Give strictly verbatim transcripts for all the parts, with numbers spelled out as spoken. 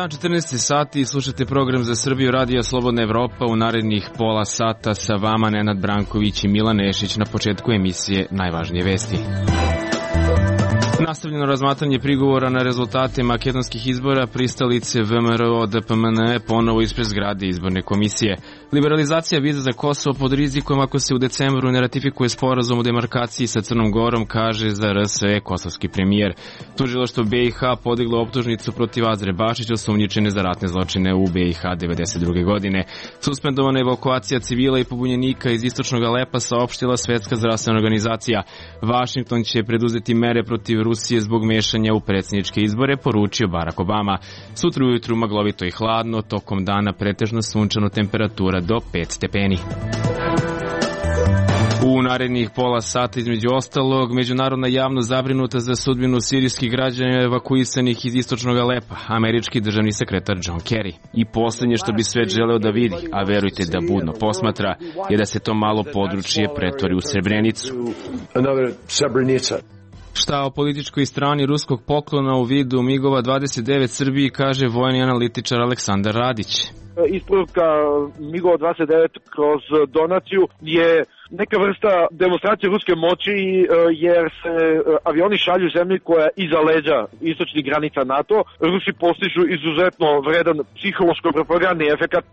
dan, četrnaesti sati, slušate program za Srbiju, Radio Slobodna Evropa. U narednih pola sata sa vama Nenad Branković i Milan Nešić. Na početku emisije najvažnije vesti. Nastavljeno razmatranje prigovora na rezultate makedonskih izbora, pristalice V M R O D P M N E ponovo ispred zgrade izborne komisije. Liberalizacija viza za Kosovo pod rizikom ako se u decembru ne ratifikuje sporazum o demarkaciji sa Crnom Gorom, kaže za R S E kosovski premijer. Tužilaštvo B i H podiglo optužnicu protiv Azre Bašića, osumnjičene za ratne zločine u B i H devedeset druge godine. Suspendovana evakuacija civila i pobunjenika iz istočnog Alepa, saopštila Svetska zdravstvena organizacija. Vašington će preduzeti mere protiv Rusije zbog mešanja u predsjedničke izbore, poručio Barack Obama. Sutra ujutru maglovito i hladno, tokom dana pretežno sunčano, temperatura do pet stepeni. U narednih pola sata, između ostalog, međunarodna javnost zabrinuta za sudbinu sirijskih građana evakuisanih iz istočnog Alepa, američki državni sekretar John Kerry. I posljednje što bi svet želeo da vidi, a verujte da budno posmatra, je da se to malo područje pretvori u Srebrenicu. Šta o političkoj strani ruskog poklona u vidu migova dvadeset devet Srbiji, kaže vojni analitičar Aleksandar Radić. Isporuka migova dvadeset devet kroz donaciju je neka vrsta demonstracije ruske moći, jer se avioni šalju zemlji koja je iza leđa istočnih granica NATO. Rusi postižu izuzetno vredan psihološko-propagandni efekat.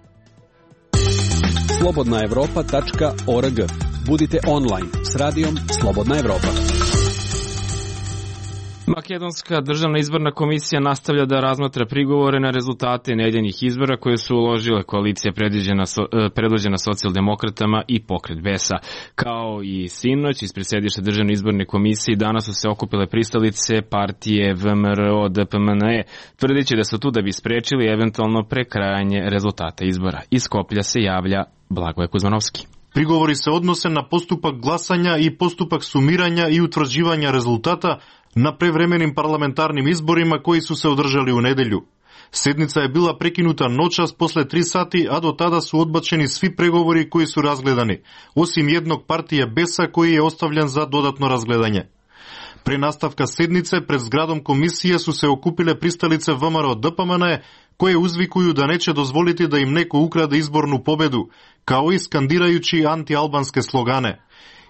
slobodna evropa tačka org. Budite online s radijom Slobodna Evropa. Makedonska državna izborna komisija nastavlja da razmatra prigovore na rezultate nedeljnih izbora koje su uložile koalicija predvođena socijaldemokratama i pokret Besa. Kao i sinoć, ispred sedišta državne izborne komisije danas su se okupile pristalice partije V M R O D P M N E, tvrdeći da su tu da bi sprečili eventualno prekrajanje rezultata izbora. Iz Skoplja se javlja Blagoje Kuzmanovski. Prigovori se odnose na postupak glasanja i postupak sumiranja i utvrđivanja rezultata na prevremenim parlamentarnim izborima koji su se održali u nedelju. Sednica je bila prekinuta noćas posle tri sati, a do tada su odbačeni svi pregovori koji su razgledani, osim jednog partije Besa koji je ostavljen za dodatno razgledanje. Pre nastavka sednice pred zgradom komisije su se okupile pristalice V M R O D P M N E koje uzvikuju da neće dozvoliti da im neko ukrade izbornu pobedu, kao i skandirajući anti-albanske slogane.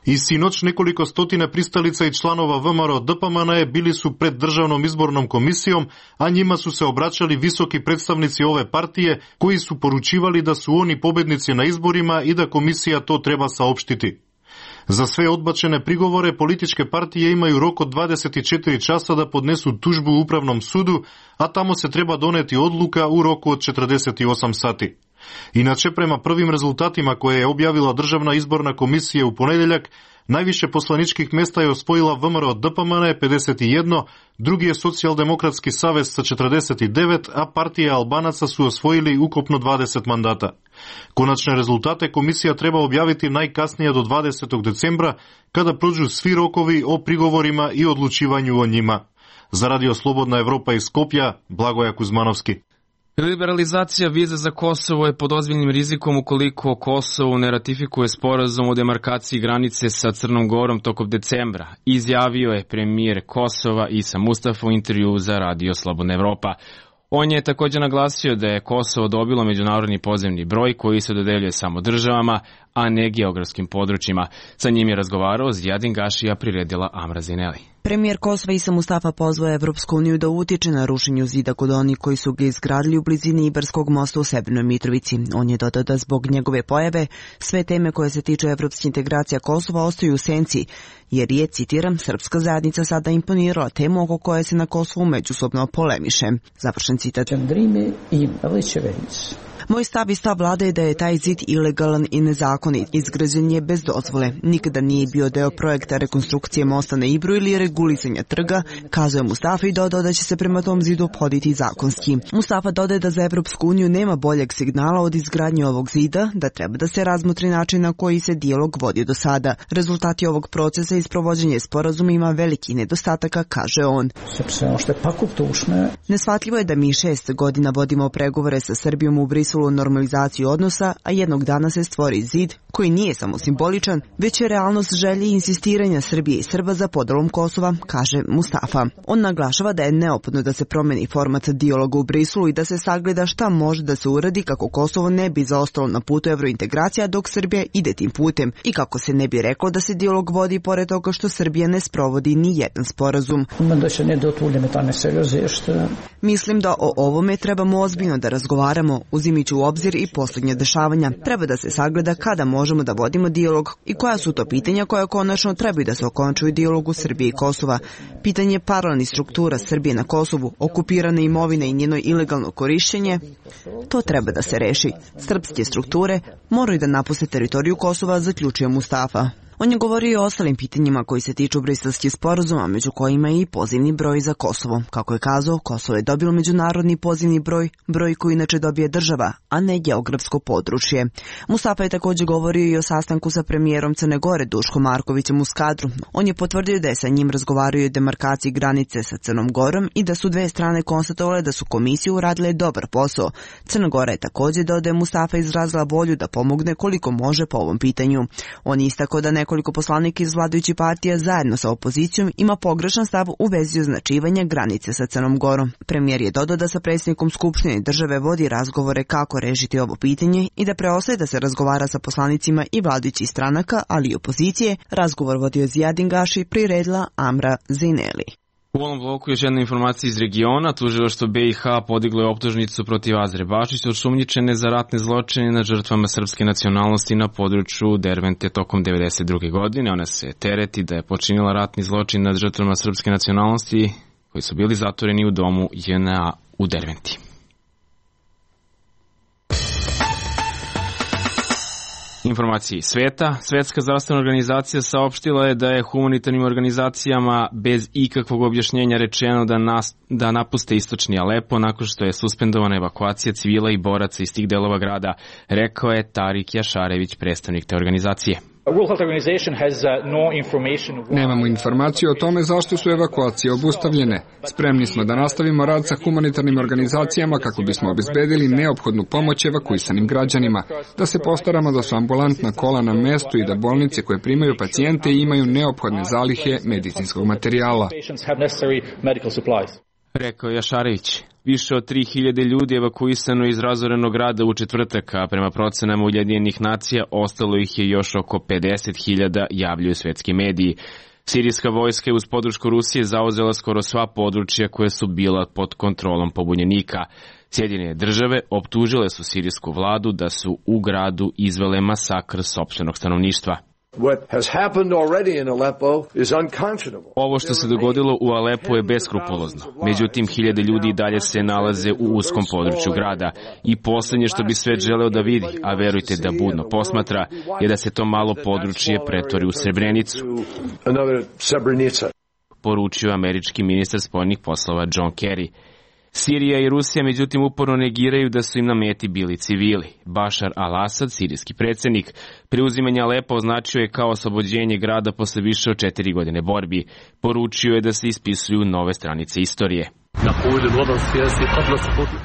I sinoć nekoliko stotine pristalica i članova V M R O D P M N E bili su pred državnom izbornom komisijom, a njima su se obraćali visoki predstavnici ove partije koji su poručivali da su oni pobednici na izborima i da komisija to treba saopštiti. Za sve odbačene prigovore političke partije imaju rok od dvadeset četiri časa da podnesu tužbu u Upravnom sudu, a tamo se treba doneti odluka u roku od četrdeset osam sati. Inače, prema prvim rezultatima koje je objavila Državna izborna komisija u ponedeljak, najviše poslaničkih mesta je osvojila V M R O D P M N E pedeset jedan, drugi je Socijaldemokratski savez sa četrdeset devet, a partije Albanaca su osvojili ukupno dvadeset mandata. Konačne rezultate komisija treba objaviti najkasnije do dvadesetog decembra, kada prođu svi rokovi o prigovorima i odlučivanju o njima. Za Radio Slobodna Evropa iz Skopja, Blagoje Kuzmanovski. Liberalizacija viza za Kosovo je pod ozbiljnim rizikom ukoliko Kosovo ne ratifikuje sporazum o demarkaciji granice sa Crnom Gorom tokom decembra, izjavio je premijer Kosova Isa Mustafa u intervjuu za Radio Slobodna Evropa. On je također naglasio da je Kosovo dobilo međunarodni pozemni broj koji se dodeljuje samo državama, a ne geografskim područjima. Sa njim je razgovarao Zijadin Gašija, priredila Amra Zineli. Premijer Kosova Isa Mustafa pozvao Evropsku uniju da utiče na rušenju zida kod onih koji su ga izgradili u blizini Ibarskog mosta u Severnoj Mitrovici. On je dodao da zbog njegove pojave sve teme koje se tiču evropske integracija Kosova ostaju u senci, jer je, citiram, srpska zajednica sada imponirala temu oko koje se na Kosovu međusobno polemiše. Završen citat. Moj stav i stav vlade je da je taj zid ilegalan i nezakonit. Izgrađen je bez dozvole. Nikada nije bio deo projekta rekonstrukcije mosta na Ibru ili regulisanja trga, kazuje Mustafa i dodao da će se prema tom zidu poditi zakonski. Mustafa dodaje da za Evropsku uniju nema boljeg signala od izgradnje ovog zida, da treba da se razmotri način na koji se dijalog vodi do sada. Rezultati ovog procesa i sprovođenje sporazuma ima veliki nedostataka, kaže on. Neshvatljivo je da mi šest godina vodimo pregovore sa Srbijom u Briselu o normalizaciji odnosa, a jednog dana se stvori zid koji nije samo simboličan, već je realnost želje i insistiranja Srbije i Srba za podelom Kosova, kaže Mustafa. On naglašava da je neophodno da se promeni format dijaloga u Briselu i da se sagleda šta može da se uradi kako Kosovo ne bi zaostalo na putu evrointegracija dok Srbija ide tim putem i kako se ne bi reklo da se dijalog vodi pored toga što Srbija ne sprovodi ni jedan sporazum. Mislim da o ovome trebamo ozbiljno da razgovaramo, uzimajući u obzir i posljednje dešavanja. Treba da se sagleda kada možemo da vodimo dijalog i koja su to pitanja koja konačno trebaju da se okončuju dijalogu Srbije i Kosova. Pitanje paralelnih struktura Srbije na Kosovu, okupirane imovine i njeno ilegalno korišćenje, to treba da se reši. Srpske strukture moraju da napuste teritoriju Kosova, zaključuje Mustafa. On je govorio i o ostalim pitanjima koji se tiču briselskih sporazuma, među kojima je i pozivni broj za Kosovo. Kako je kazao, Kosovo je dobilo međunarodni pozivni broj, broj koji inače dobije država, a ne geografsko područje. Mustafa je također govorio i o sastanku sa premijerom Crne Gore Duškom Markovićem u Skadru. On je potvrdio da je sa njim razgovario o demarkaciji granice sa Crnom Gorom i da su dve strane konstatovale da su komisije uradile dobar posao. Crna Gora je također, dodaje Mustafa, izrazila volju da pomogne koliko može po ovom pitanju. On je istakao da ne Nekoliko poslanika iz vladajućih partija zajedno sa opozicijom ima pogrešan stav u vezi označivanja granice sa Crnom Gorom. Premijer je dodao da sa predsjednikom Skupštine države vodi razgovore kako rešiti ovo pitanje i da preostaje da se razgovara sa poslanicima i vladajućih stranaka, ali i opozicije. Razgovor vodio Zijadin Gaši, priredila Amra Zineli. U ovom bloku još jedna informacija iz regiona. Tužilaštvo B i H podiglo je optužnicu protiv Azre Bašić osumnjičene za ratne zločine nad žrtvama srpske nacionalnosti na području Dervente tokom devedeset druge. godine. Ona se tereti da je počinila ratni zločin nad žrtvama srpske nacionalnosti koji su bili zatvoreni u domu J N A u Derventi. Informacije iz sveta. Svetska zdravstvena organizacija saopštila je da je humanitarnim organizacijama bez ikakvog objašnjenja rečeno da, nas, da napuste istočni Alepo nakon što je suspendovana evakuacija civila i boraca iz tih delova grada, rekao je Tarik Jašarević, predstavnik te organizacije. Nemamo informaciju o tome zašto su evakuacije obustavljene. Spremni smo da nastavimo rad sa humanitarnim organizacijama kako bismo obezbedili neophodnu pomoć evakuisanim građanima, da se postaramo da su ambulantna kola na mestu i da bolnice koje primaju pacijente imaju neophodne zalihe medicinskog materijala. Rekao Jašarević. Više od tri hiljade ljudi evakuisano iz razorenog grada u četvrtak, a prema procenama Ujedinjenih nacija ostalo ih je još oko pedeset hiljada, javljaju svetski mediji. Sirijska vojska je uz podršku Rusije zauzela skoro sva područja koje su bila pod kontrolom pobunjenika. Sjedinjene države optužile su sirijsku vladu da su u gradu izvele masakr sopstvenog stanovništva. Ovo što se dogodilo u Alepu je beskrupulozno. Međutim, hiljade ljudi dalje se nalaze u uskom području grada i posljednje što bi svet želeo da vidi, a verujte da budno posmatra, je da se to malo područje pretvori u Srebrenicu, poručio američki ministar spoljnih poslova John Kerry. Sirija i Rusija međutim uporno negiraju da su im na meti bili civili. Bašar al-Asad, sirijski predsjednik, preuzimanje Alepa označio je kao oslobođenje grada posle više od četiri godine borbi. Poručio je da se ispisuju nove stranice istorije.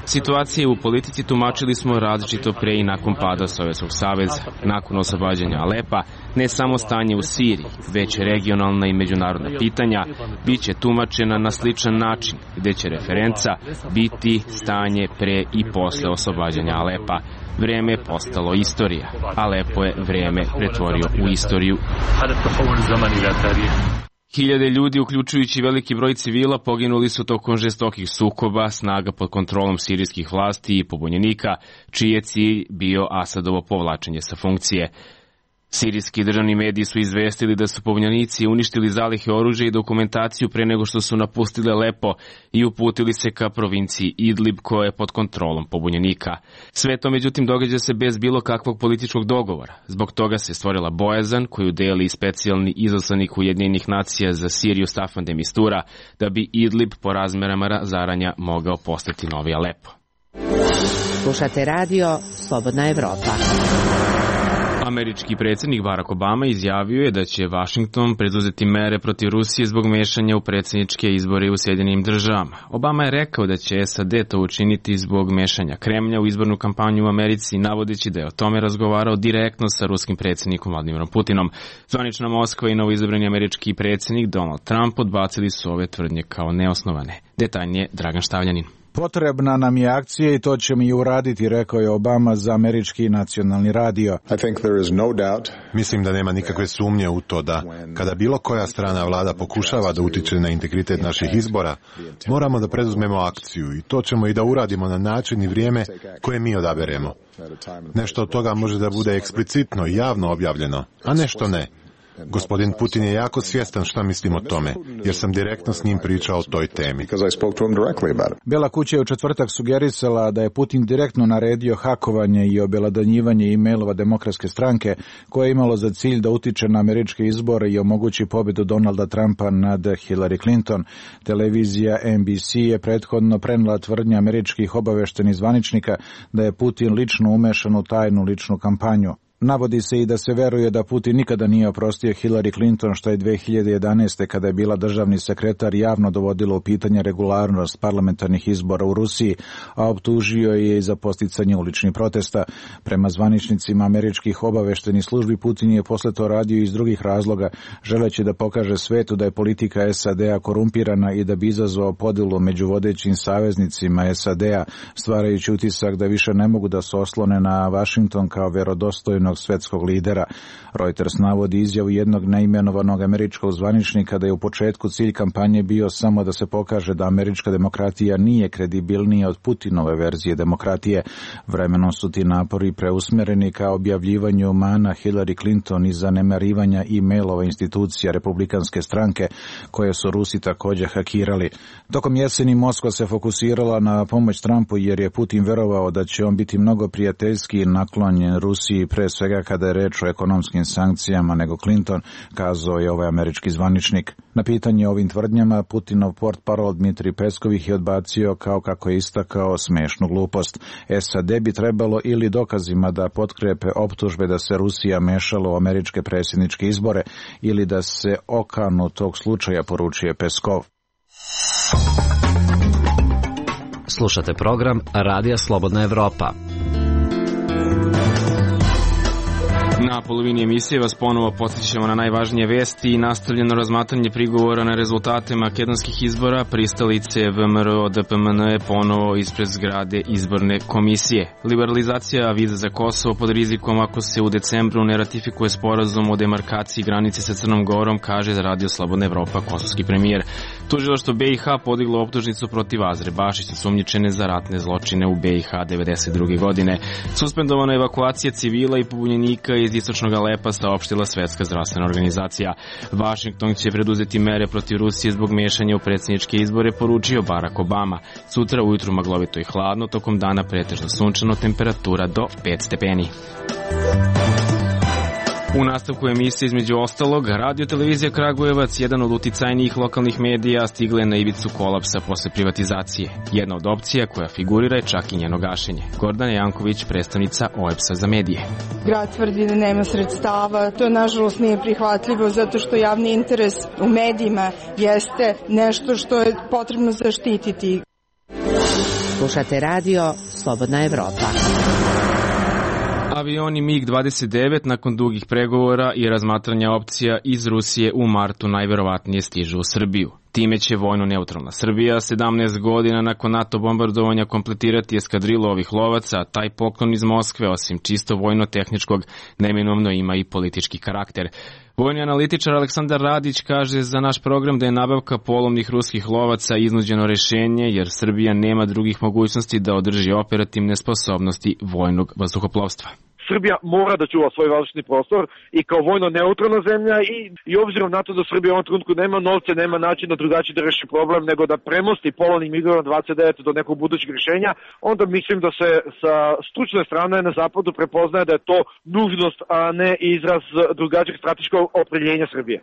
Situacije u politici tumačili smo različito pre i nakon pada Sovjetskog saveza. Nakon oslobađanja Alepa, ne samo stanje u Siriji, već regionalna i međunarodna pitanja bit će tumačena na sličan način, gde će referenca biti stanje pre i posle oslobađanja Alepa. Vreme je postalo istorija. Alepo je vreme pretvorio u istoriju. Hiljade ljudi, uključujući veliki broj civila, poginuli su tokom žestokih sukoba snaga pod kontrolom sirijskih vlasti i pobunjenika, čiji je cilj bio Asadovo povlačenje sa funkcije. Sirijski državni mediji su izvestili da su pobunjenici uništili zalihe oružja i dokumentaciju pre nego što su napustili Alepo i uputili se ka provinciji Idlib koja je pod kontrolom pobunjenika. Sve to međutim događa se bez bilo kakvog političkog dogovora. Zbog toga se stvorila bojazan koju deli specijalni izaslanik Ujedinjenih nacija za Siriju Staffan de Mistura da bi Idlib po razmerama razaranja mogao postati novi Alepo. Slušate radio Slobodna Evropa. Američki predsjednik Barack Obama izjavio je da će Washington preduzeti mere protiv Rusije zbog mešanja u predsjedničke izbore u Sjedinjenim državama. Obama je rekao da će S A D to učiniti zbog mešanja Kremlja u izbornu kampanju u Americi, navodeći da je o tome razgovarao direktno sa ruskim predsjednikom Vladimirom Putinom. Zvanična Moskva i novoizabrani američki predsjednik Donald Trump odbacili su ove tvrdnje kao neosnovane. Detaljnije Dragan Štavljanin. Potrebna nam je akcija i to ćemo i uraditi, rekao je Obama za američki nacionalni radio. Mislim da nema nikakve sumnje u to da, kada bilo koja strana vlada pokušava da utiče na integritet naših izbora, moramo da preduzmemo akciju i to ćemo i da uradimo na način i vrijeme koje mi odaberemo. Nešto od toga može da bude eksplicitno i javno objavljeno, a nešto ne. Gospodin Putin je jako svjestan šta mislim o tome, jer sam direktno s njim pričao o toj temi. Bela kuća je u četvrtak sugerisala da je Putin direktno naredio hakovanje i obelodanjivanje e-mailova Demokratske stranke, koje je imalo za cilj da utiče na američke izbore i omogući pobjedu Donalda Trumpa nad Hillary Clinton. Televizija N B C je prethodno prenela tvrdnje američkih obaveštenih zvaničnika da je Putin lično umešan u tajnu ličnu kampanju. Navodi se i da se veruje da Putin nikada nije oprostio Hillary Clinton, što je dve hiljade jedanaeste. kada je bila državni sekretar javno dovodilo u pitanje regularnost parlamentarnih izbora u Rusiji, a optužio je i za podsticanje uličnih protesta. Prema zvaničnicima američkih obaveštenih službi, Putin je posle to radio iz drugih razloga, želeći da pokaže svetu da je politika S A D-a korumpirana i da bi izazvao podelu među vodećim saveznicima S A D-a, stvarajući utisak da više ne mogu da se oslone na Washington kao verodostojno svetskog lidera. Reuters navodi izjavu jednog neimenovanog američkog zvaničnika da je u početku cilj kampanje bio samo da se pokaže da američka demokratija nije kredibilnija od Putinove verzije demokratije. Vremenom su ti napori preusmereni ka objavljivanju mana Hillary Clinton i zanemarivanja e-mailova institucija republikanske stranke, koje su Rusi također hakirali. Tokom jeseni Moskva se fokusirala na pomoć Trumpu jer je Putin verovao da će on biti mnogo prijateljski naklonjen Rusiji, pre svega kada je reč o ekonomskim sankcijama, nego Clinton, kazao je ovaj američki zvaničnik. Na pitanje o ovim tvrdnjama, Putinov portparol Dmitrij Peskov ih je odbacio kao kako je istakao smešnu glupost. S A D bi trebalo ili dokazima da potkrepe optužbe da se Rusija mešala u američke predsjedničke izbore ili da se okanu tog slučaja, poručuje Peskov. Slušate program Radija Slobodna Evropa. Na polovini emisije vas ponovo podsjećamo na najvažnije vesti i nastavljeno razmatranje prigovora na rezultate makedonskih izbora. Pristalice V M R O D P M N E ponovo ispred zgrade izborne komisije. Liberalizacija viza za Kosovo pod rizikom ako se u decembru ne ratifikuje sporazum o demarkaciji granice sa Crnom Gorom, kaže za Radio Slobodna Evropa kosovski premijer. Tužilaštvo B i H podiglo optužnicu protiv Azre Bašić, osumnjičene za ratne zločine u B i H devedeset druge. godine. Suspendovana evakuacija civila i pobunjenika iz istočnog Alepa, saopštila Svetska zdravstvena organizacija. Washington će preduzeti mere protiv Rusije zbog mešanja u predsjedničke izbore, poručio Barack Obama. Sutra ujutru maglovito i hladno, tokom dana pretežno sunčano, temperatura do pet stepeni. U nastavku emisije između ostalog, Radio Televizija Kragujevac, jedan od uticajnijih lokalnih medija, stigla je na ivicu kolapsa posle privatizacije. Jedna od opcija koja figurira je čak i njeno gašenje. Gordana Janković, predstavnica O E P S-a za medije. Grad tvrdi da nema sredstava, to nažalost nije prihvatljivo zato što javni interes u medijima jeste nešto što je potrebno zaštititi. Slušate radio Slobodna Evropa. Avioni MiG dvadeset devet nakon dugih pregovora i razmatranja opcija iz Rusije u martu najverovatnije stižu u Srbiju. Time će vojno neutralna Srbija sedamnaest godina nakon NATO bombardovanja kompletirati eskadrilu ovih lovaca, a taj poklon iz Moskve, osim čisto vojno-tehničkog, neminovno ima i politički karakter. Vojni analitičar Aleksandar Radić kaže za naš program da je nabavka polovnih ruskih lovaca iznuđeno rešenje, jer Srbija nema drugih mogućnosti da održi operativne sposobnosti vojnog vazduhoplovstva. Srbija mora da čuva svoj vazdušni prostor i kao vojno neutralna zemlja i, i obzirom na to da Srbija u ovom trenutku nema novce, nema načina drugačije da reši problem nego da premosti polovnim migova dvadeset devet do nekog budućeg rješenja, onda mislim da se sa stručne strane na zapadu prepoznaje da je to nužnost, a ne izraz drugačijeg strateškog opredjeljenja Srbije.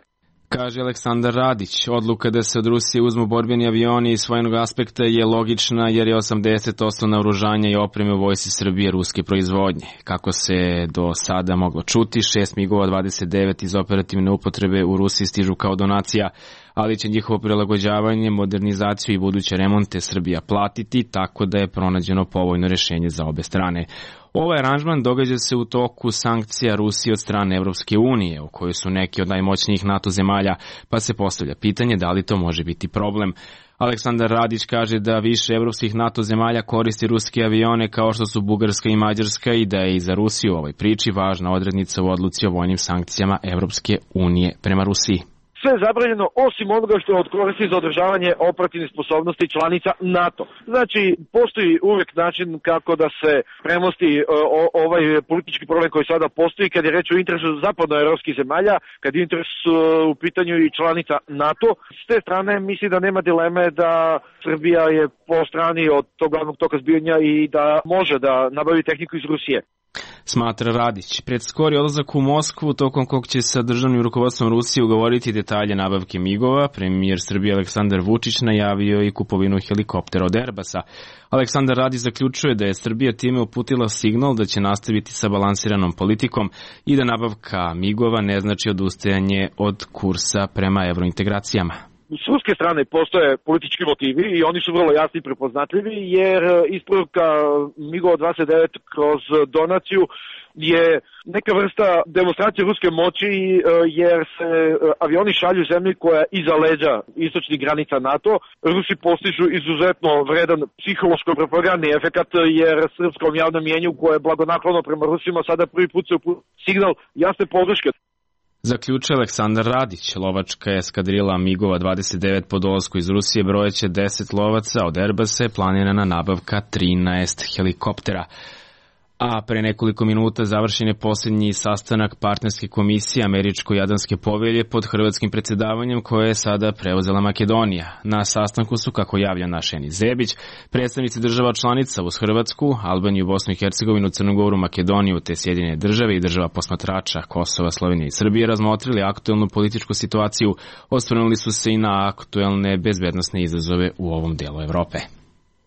Kaže Aleksandar Radić, odluka da se od Rusije uzmu borbeni avioni iz vojnog aspekta je logična jer je osamdeset posto naoružanja i opreme u vojsci Srbije ruske proizvodnje. Kako se do sada moglo čuti, šest migova dvadeset devet iz operativne upotrebe u Rusiji stižu kao donacija, ali će njihovo prilagođavanje, modernizaciju i buduće remonte Srbija platiti, tako da je pronađeno povoljno rešenje za obe strane. Ovaj aranžman događa se u toku sankcija Rusije od strane Evropske unije, u kojoj su neki od najmoćnijih NATO zemalja, pa se postavlja pitanje da li to može biti problem. Aleksandar Radić kaže da više evropskih NATO zemalja koristi ruske avione kao što su Bugarska i Mađarska i da je i za Rusiju u ovoj priči važna odrednica u odluci o vojnim sankcijama Evropske unije prema Rusiji. Sve je zabranjeno osim onoga što je od koristi za održavanje operativnih sposobnosti članica NATO. Znači, postoji uvijek način kako da se premosti o, ovaj politički problem koji sada postoji kad je reč o interesu zapadnoevropskih zemalja, kad je interes u pitanju i članica NATO. S te strane misli da nema dileme da Srbija je po strani od tog glavnog toka zbijanja i da može da nabavi tehniku iz Rusije. Smatra Radić. Pred skori odlazak u Moskvu, tokom kog će sa državnim rukovodstvom Rusije ugovoriti detalje nabavke migova, premijer Srbije Aleksandar Vučić najavio i kupovinu helikoptera od Airbusa. Aleksandar Radić zaključuje da je Srbija time uputila signal da će nastaviti sa balansiranom politikom i da nabavka migova ne znači odustajanje od kursa prema evrointegracijama. S ruske strane postoje politički motivi i oni su vrlo jasni i prepoznatljivi, jer isporuka migova dvadeset devet kroz donaciju je neka vrsta demonstracije ruske moći, jer se avioni šalju zemlji koja je iza leđa istočnih granica NATO. Rusi postižu izuzetno vredan psihološko-propagandni efekat, jer srpskom javnom mjenju koje je blagonaklono prema Rusima sada prvi put se uputi signal jasne podrške. Zaključuje Aleksandar Radić. Lovačka eskadrila migova dvadeset devet po dolasku iz Rusije brojeće deset lovaca, od Airbusa je planirana nabavka trinaest helikoptera. A pre nekoliko minuta završen je posljednji sastanak partnerske komisije Američko-Jadranske povelje pod hrvatskim predsjedavanjem koje je sada preuzela Makedonija. Na sastanku su, kako javlja naš Enis Zebić, predstavnici država članica uz Hrvatsku, Albaniju, Bosnu i Hercegovinu, Crnu Goru, Makedoniju te Sjedinjene države i država posmatrača Kosova, Slovenije i Srbije razmotrili aktuelnu političku situaciju, osvrnuli su se i na aktuelne bezbednosne izazove u ovom delu Evrope.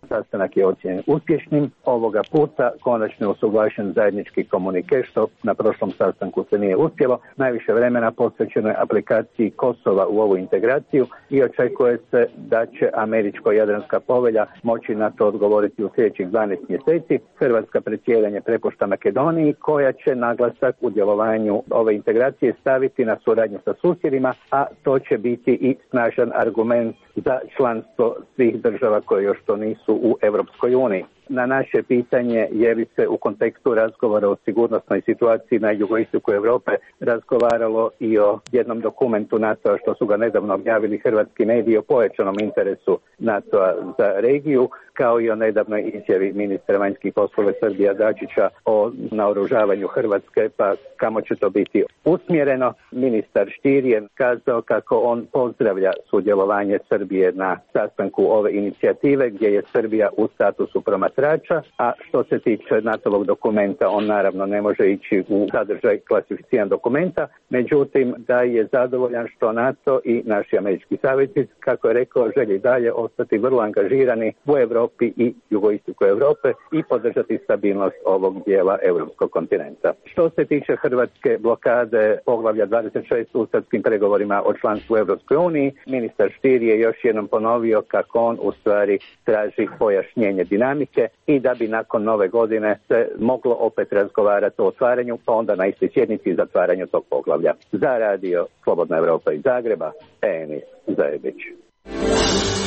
Sastanak je ocijenjen uspješnim. Ovoga puta konačno je usuglašen zajednički komunike, što na prošlom sastanku se nije uspjelo. Najviše vremena posvećeno je aplikaciji Kosova u ovu integraciju i očekuje se da će Američko-Jadranska povelja moći na to odgovoriti u sljedećih dvanaest mjeseci. Hrvatska predsjedanje prepušta Makedoniji, koja će naglasak u djelovanju ove integracije staviti na suradnju sa susjedima, a to će biti i snažan argument za članstvo svih država koje još to nisu u Europskoj uniji. Na naše pitanje je li se u kontekstu razgovora o sigurnosnoj situaciji na jugoistoku Europe razgovaralo i o jednom dokumentu NATO-a što su ga nedavno objavili hrvatski mediji o pojačanom interesu NATO-a za regiju, kao i o nedavnoj izjavi ministra vanjskih poslova Srbija Dačića o naoružavanju Hrvatske, pa kamo će to biti usmjereno. Ministar Stier je kazao kako on pozdravlja sudjelovanje Srbije na sastanku ove inicijative gdje je Srbija u statusu promatrača, a što se tiče NATO-ovog dokumenta, on naravno ne može ići u sadržaj klasificiran dokumenta, međutim da je zadovoljan što NATO i naši američki saveznici, kako je rekao, želi dalje ostati vrlo angažirani u Europi i jugoistoku Europe i podržati stabilnost ovog dijela europskog kontinenta. Što se tiče hrvatske blokade poglavlja dvadeset šest u srpskim pregovorima o članstvu u Europskoj uniji, ministar Stier je još jednom ponovio kako on u stvari traži pojašnjenje dinamike i da bi nakon nove godine se moglo opet razgovarati o otvaranju, pa onda na istoj sjednici i zatvaranju tog poglavlja. Za radio Slobodna Evropa iz Zagreba, Enis Zajebić.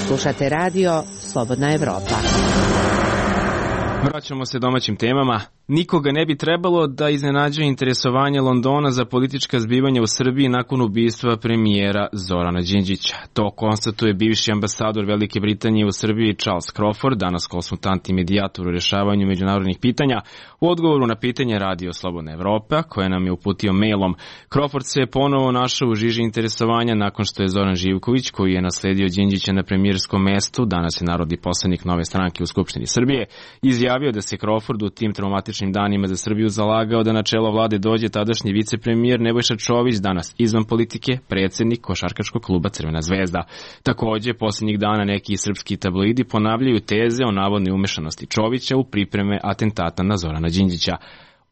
Slušate radio Slobodna Evropa. Vraćamo se domaćim temama. Nikoga ne bi trebalo da iznenađuje interesovanje Londona za politička zbivanja u Srbiji nakon ubistva premijera Zorana Đinđića. To konstatuje bivši ambasador Velike Britanije u Srbiji Charles Crawford, danas konsultant i medijator u rješavanju međunarodnih pitanja, u odgovoru na pitanje Radio Slobodna Evropa, koje nam je uputio mailom. Crawford se je ponovo našao u žiži interesovanja nakon što je Zoran Živković, koji je nasledio Đinđića na premijerskom mestu, danas je narodni poslanik Nove stranke u Skupštini Srbije, izjavio da se Crawford u tim traumatičnim prosečnim danima za Srbiju zalagao da na čelo vlade dođe tadašnji vicepremijer Nebojša Čović, danas izvan politike, predsjednik košarkaškog kluba Crvena zvezda. Takođe, posljednjih dana neki srpski tabloidi ponavljaju teze o navodnoj umešanosti Čovića u pripreme atentata na Zorana Đinđića.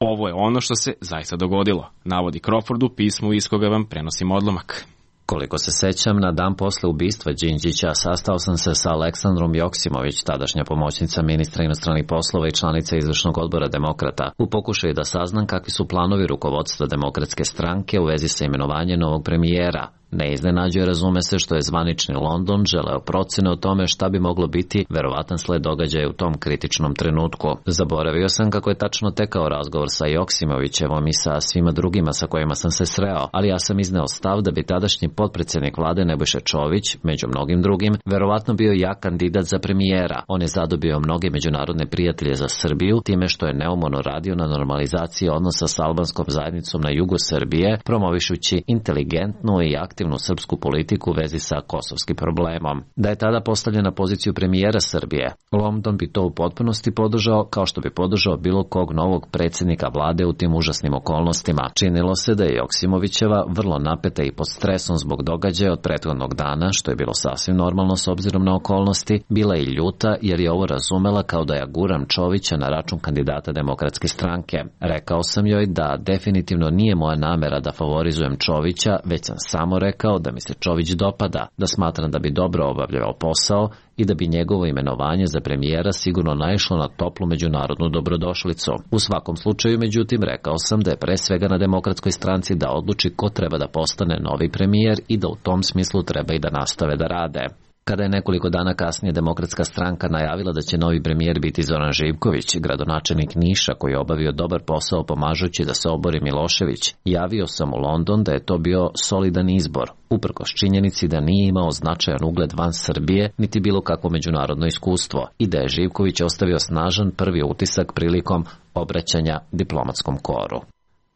Ovo je ono što se zaista dogodilo, navodi Crawford u pismu iz koga vam prenosimo odlomak. Koliko se sećam, na dan posle ubistva Đinđića sastao sam se sa Aleksandrom Joksimović, tadašnja pomoćnica ministra inostranih poslova i članica izvršnog odbora Demokrata, u pokušaju da saznam kakvi su planovi rukovodstva Demokratske stranke u vezi sa imenovanjem novog premijera. Ne iznenađuje, razume se, što je zvanični London želeo procene o tome šta bi moglo biti verovatan sled događaja u tom kritičnom trenutku. Zaboravio sam kako je tačno tekao razgovor sa Joksimovićevom i sa svima drugima sa kojima sam se sreo, ali ja sam izneo stav da bi tadašnji potpredsjednik vlade Nebojša Čović, među mnogim drugim, verovatno bio jak kandidat za premijera. On je zadobio mnoge međunarodne prijatelje za Srbiju time što je neumorno radio na normalizaciji odnosa sa albanskom zajednicom na jugu Srbije, promovišući inteligentnu i aktivnu srpsku politiku u vezi sa kosovskim problemom. Da je tada postavljen na poziciju premijera Srbije, London bi to u potpunosti podržao, kao što bi podržao bilo kog novog predsjednika vlade u tim užasnim okolnostima. Činilo se da je Joksimovićeva vrlo napeta i pod stresom zbog događaja od prethodnog dana, što je bilo sasvim normalno s obzirom na okolnosti, bila i ljuta jer je ovo razumela kao da ja guram Čovića na račun kandidata Demokratske stranke. Rekao sam joj da definitivno nije moja namera da favorizujem Čovića, već sam samo rekao kao da mi se Čović dopada, da smatram da bi dobro obavljao posao i da bi njegovo imenovanje za premijera sigurno naišlo na toplu međunarodnu dobrodošlicu. U svakom slučaju, međutim, rekao sam da je pre svega na Demokratskoj stranci da odluči ko treba da postane novi premijer i da u tom smislu treba i da nastave da rade. Kada je nekoliko dana kasnije Demokratska stranka najavila da će novi premijer biti Zoran Živković, gradonačelnik Niša koji je obavio dobar posao pomažući da se obori Milošević, javio sam u London da je to bio solidan izbor, uprkos činjenici da nije imao značajan ugled van Srbije niti bilo kakvo međunarodno iskustvo i da je Živković ostavio snažan prvi utisak prilikom obraćanja diplomatskom koru.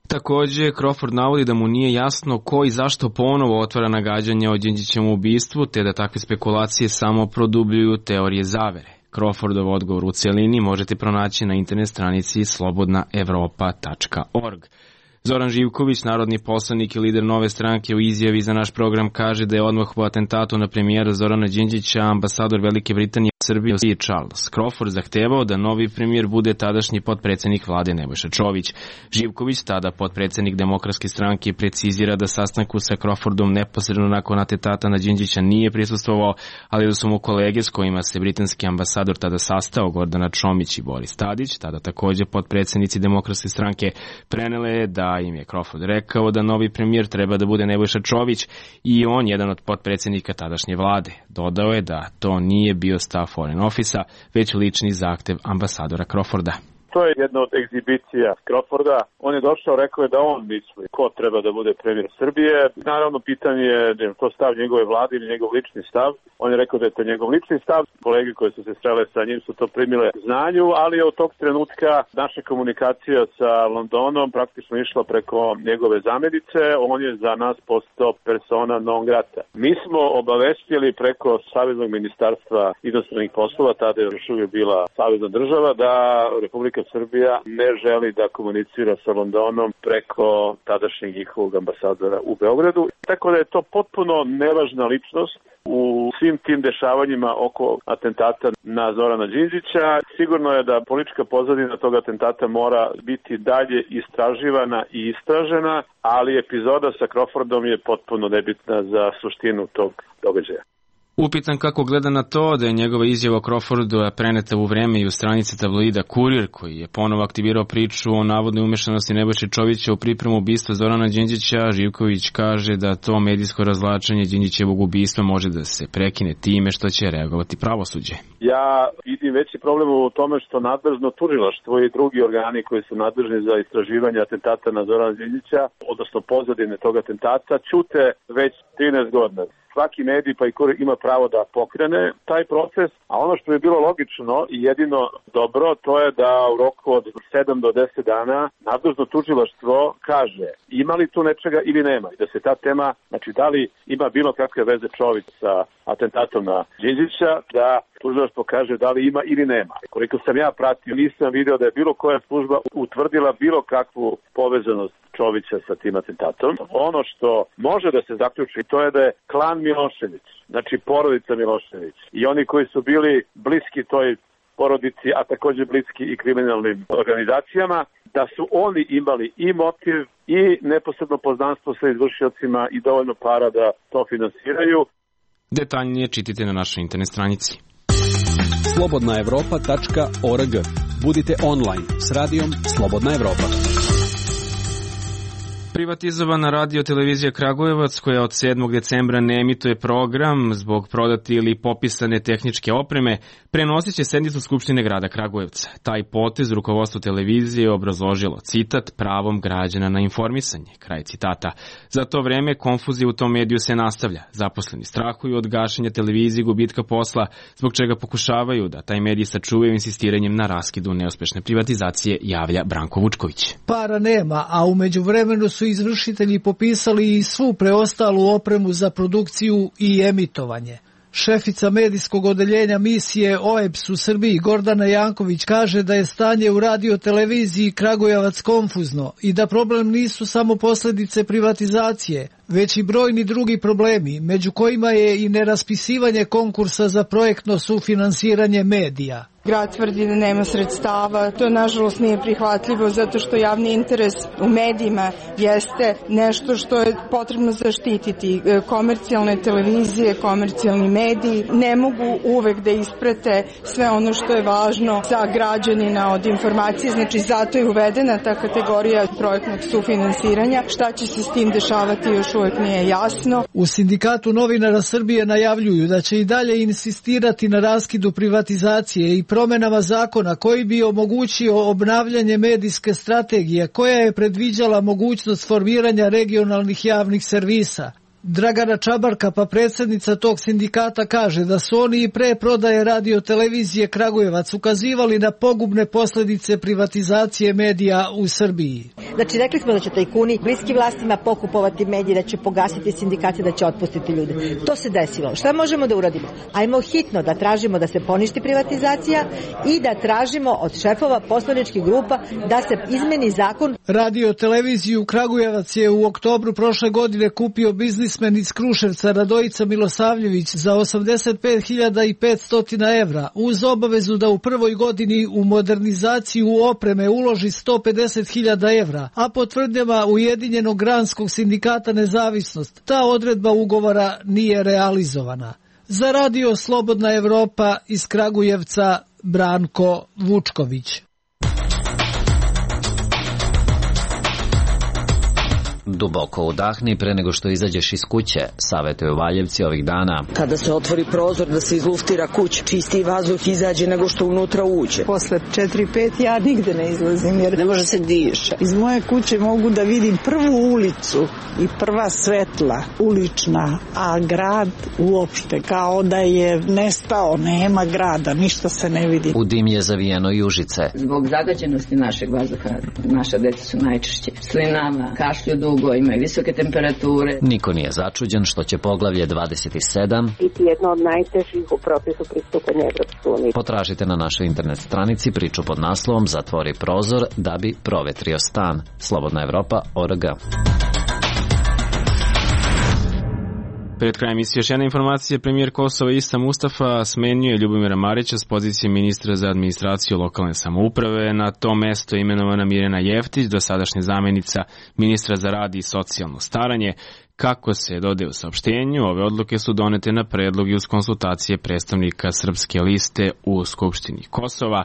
Takođe, Crawford navodi da mu nije jasno ko i zašto ponovo otvara nagađanja o Đinđićevom ubistvu, te da takve spekulacije samo produbljuju teorije zavere. Crawfordov odgovor u celini možete pronaći na internet stranici slobodna evropa tačka org. Zoran Živković, narodni poslanik i lider Nove stranke, u izjavi za naš program kaže da je odmah po atentatu na premijera Zorana Đinđića ambasador Velike Britanije u Srbiji i Charles Crawford zahtevao da novi premijer bude tadašnji potpredsednik vlade Nebojša Čović. Živković, tada potpredsednik Demokratske stranke, precizira da sastanku sa Crawfordom neposredno nakon atentata na Đinđića nije prisustvovao, ali da su mu kolege s kojima se britanski ambasador tada sastao, Gordana Čomić i Boris Tadić, tada takođe potpredsednici Demokratske stranke, prenele da im je Crawford rekao da novi premijer treba da bude Nebojša Čović i on jedan od potpredsednika tadašnje vlade. Dodao je da to nije bio stav Foreign Office-a, već lični zahtev ambasadora Crawforda. To je jedna od egzibicija Crawforda. On je došao, rekao je da on misli ko treba da bude premijer Srbije. Naravno, pitanje je da je to stav njegove vlade ili njegov lični stav. On je rekao da je to njegov lični stav. Kolege koje su se srele sa njim su to primile znanju, ali od tog trenutka naša komunikacija sa Londonom praktično išla preko njegove zamenice. On je za nas postao persona non grata. Mi smo obavestili preko Saveznog ministarstva inostranih poslova, tada je još uvijek bila savezna država, da Republika Srbija ne želi da komunicira sa Londonom preko tadašnjeg njihovog ambasadora u Beogradu. Tako da je to potpuno nevažna ličnost u svim tim dešavanjima oko atentata na Zorana Đinđića. Sigurno je da politička pozadina tog atentata mora biti dalje istraživana i istražena, ali epizoda sa Crawfordom je potpuno nebitna za suštinu tog događaja. Upitan kako gleda na to da je njegova izjava o Crawfordu preneta u vreme i u stranici tabloida Kurir, koji je ponovo aktivirao priču o navodnoj umešanosti Nebojše Čovića u pripremu ubistva Zorana Đinđića, Živković kaže da to medijsko razvlačenje Đinđićevog ubistva može da se prekine time što će reagovati pravosuđe. Ja vidim veći problem u tome što nadležno tužilaštvo i drugi organi koji su nadležni za istraživanje atentata na Zorana Đinđića, odnosno pozadine tog atentata, ćute već trinaest godina. svaki medij pa i ko ima pravo da pokrene taj proces, a ono što je bilo logično i jedino dobro, to je da u roku od sedam do deset dana nadležno tužilaštvo kaže ima li tu nečega ili nema, i da se ta tema, znači da li ima bilo kakve veze Čović sa atentatom na Đinđića, da tužilaštvo kaže da li ima ili nema. Koliko sam ja pratio, nisam video da je bilo koja služba utvrdila bilo kakvu povezanost Čovića sa tim atentatom. Ono što može da se zaključi, to je da je klan Milošević, znači porodica Milošević i oni koji su bili bliski toj porodici, a takođe bliski i kriminalnim organizacijama, da su oni imali i motiv i neposredno poznanstvo sa izvršiocima i dovoljno para da to finansiraju. Detaljnije čitajte na našoj internet stranici. slobodna evropa tačka org. Budite online s radijom Slobodna Evropa. Privatizovana radio televizija Kragujevac, koja od sedmog decembra ne emituje program zbog prodate ili popisane tehničke opreme, prenosit će sednicu Skupštine grada Kragujevca. Taj potez rukovodstvo televizije je obrazložilo, citat, pravom građana na informisanje, kraj citata. Za to vreme konfuzija u tom mediju se nastavlja. Zaposleni strahuju od gašenja televizije i gubitka posla, zbog čega pokušavaju da taj medij sačuvaju insistiranjem na raskidu neuspešne privatizacije, javlja Branko Vučković. Para nema, a u međuvremenu su izvršitelji popisali i svu preostalu opremu za produkciju i emitovanje. Šefica medijskog odeljenja misije O E B S u Srbiji Gordana Janković kaže da je stanje u radioteleviziji Kragujevac konfuzno i da problem nisu samo posljedice privatizacije, već i brojni drugi problemi, među kojima je i neraspisivanje konkursa za projektno sufinansiranje medija. Grad tvrdi da nema sredstava, to nažalost nije prihvatljivo zato što javni interes u medijima jeste nešto što je potrebno zaštititi. Komercijalne televizije, komercijalni mediji ne mogu uvek da isprate sve ono što je važno za građanina od informacije, znači zato je uvedena ta kategorija projektnog sufinansiranja. Šta će se s tim dešavati još uvek nije jasno. U Sindikatu novinara Srbije najavljuju da će i dalje insistirati na raskidu privatizacije i promenama zakona koji bi omogućio obnavljanje medijske strategije koja je predviđala mogućnost formiranja regionalnih javnih servisa. Dragana Čabarka, pa predsjednica tog sindikata, kaže da su oni i pre prodaje radiotelevizije Kragujevac ukazivali na pogubne posljedice privatizacije medija u Srbiji. Znači, rekli smo da će tajkuni bliski vlastima pokupovati medije, da će pogasiti sindikate, da će otpustiti ljude. To se desilo. Šta možemo da uradimo? Ajmo hitno da tražimo da se poništi privatizacija i da tražimo od šefova poslaničkih grupa da se izmeni zakon. Radioteleviziju Kragujevac je u oktobru prošle godine kupio biznismen iz Kruševca Radojica Milosavljević za osamdeset pet hiljada petsto evra, uz obavezu da u prvoj godini u modernizaciju opreme uloži sto pedeset hiljada evra, a po tvrdnjama Ujedinjenog granskog sindikata Nezavisnost, ta odredba ugovora nije realizovana. Za radio Slobodna Evropa iz Kragujevca, Branko Vučković. Duboko udahni pre nego što izađeš iz kuće, savetuju Valjevci ovih dana. Kada se otvori prozor da se izluftira kuća, čisti vazduh izađe nego što unutra uđe. Posle četiri pet ja nigde ne izlazim jer ne može se diše. Iz moje kuće mogu da vidim prvu ulicu i prva svetla ulična, a grad uopšte kao da je nestao, nema grada, ništa se ne vidi. U dim je zavijeno i Užice. Zbog zagađenosti našeg vazduha, naša deca su najčešće slinava, kašlju dugo, imaju visoke temperature. Niko nije začuđen što će poglavlje dvadeset sedam biti jedno od najtežih u procesu pristupanja Evropske unije. Potražite na našoj internet stranici priču pod naslovom Zatvori prozor da bi provetrio stan. Slobodna Evropa tačka org. Pred krajem emisije još jedna informacija. Premijer Kosova Ista Mustafa smenjuje Ljubomira Marića s pozicije ministra za administraciju lokalne samouprave. Na to mesto je imenovana Mirjana Jeftić, dosadašnja zamjenica ministra za rad i socijalno staranje. Kako se dodaje u saopštenju, ove odluke su donete na predlog i uz konsultacije predstavnika Srpske liste u Skupštini Kosova.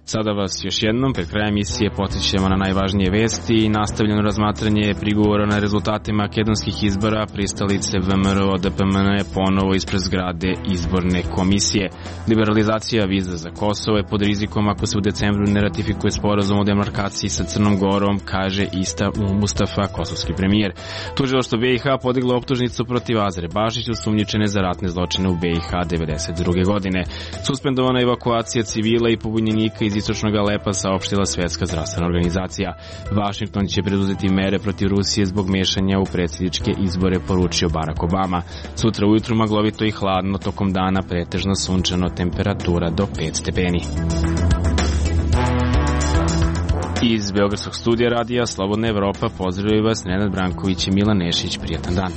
Sada vas još jednom, pred krajem emisije podsjećamo na najvažnije vesti i nastavljeno razmatranje prigovora na rezultate makedonskih izbora. Pristalice V M R O D P M N ponovo ispred zgrade izborne komisije. Liberalizacija viza za Kosovo je pod rizikom ako se u decembru ne ratifikuje sporazum o demarkaciji sa Crnom Gorom, kaže Ista Mustafa, kosovski premijer. Tužilaštvo B i H podiglo optužnicu protiv Azre Bašić, osumnjičene za ratne zločine u B i H devedeset druge godine. Suspendovana evakuacija civila i pobunjenika iz istočnog Alepa, saopštila Svetska zdravstvena organizacija. Vašington će preduzeti mere protiv Rusije zbog mešanja u predsjedničke izbore, poručio Barack Obama. Sutra ujutru maglovito i hladno, tokom dana pretežno sunčano, temperatura do pet stepeni. Iz Beogradskog studija radija Slobodna Evropa pozdravljaju vas Nenad Branković i Milan Nešić. Prijatan dan.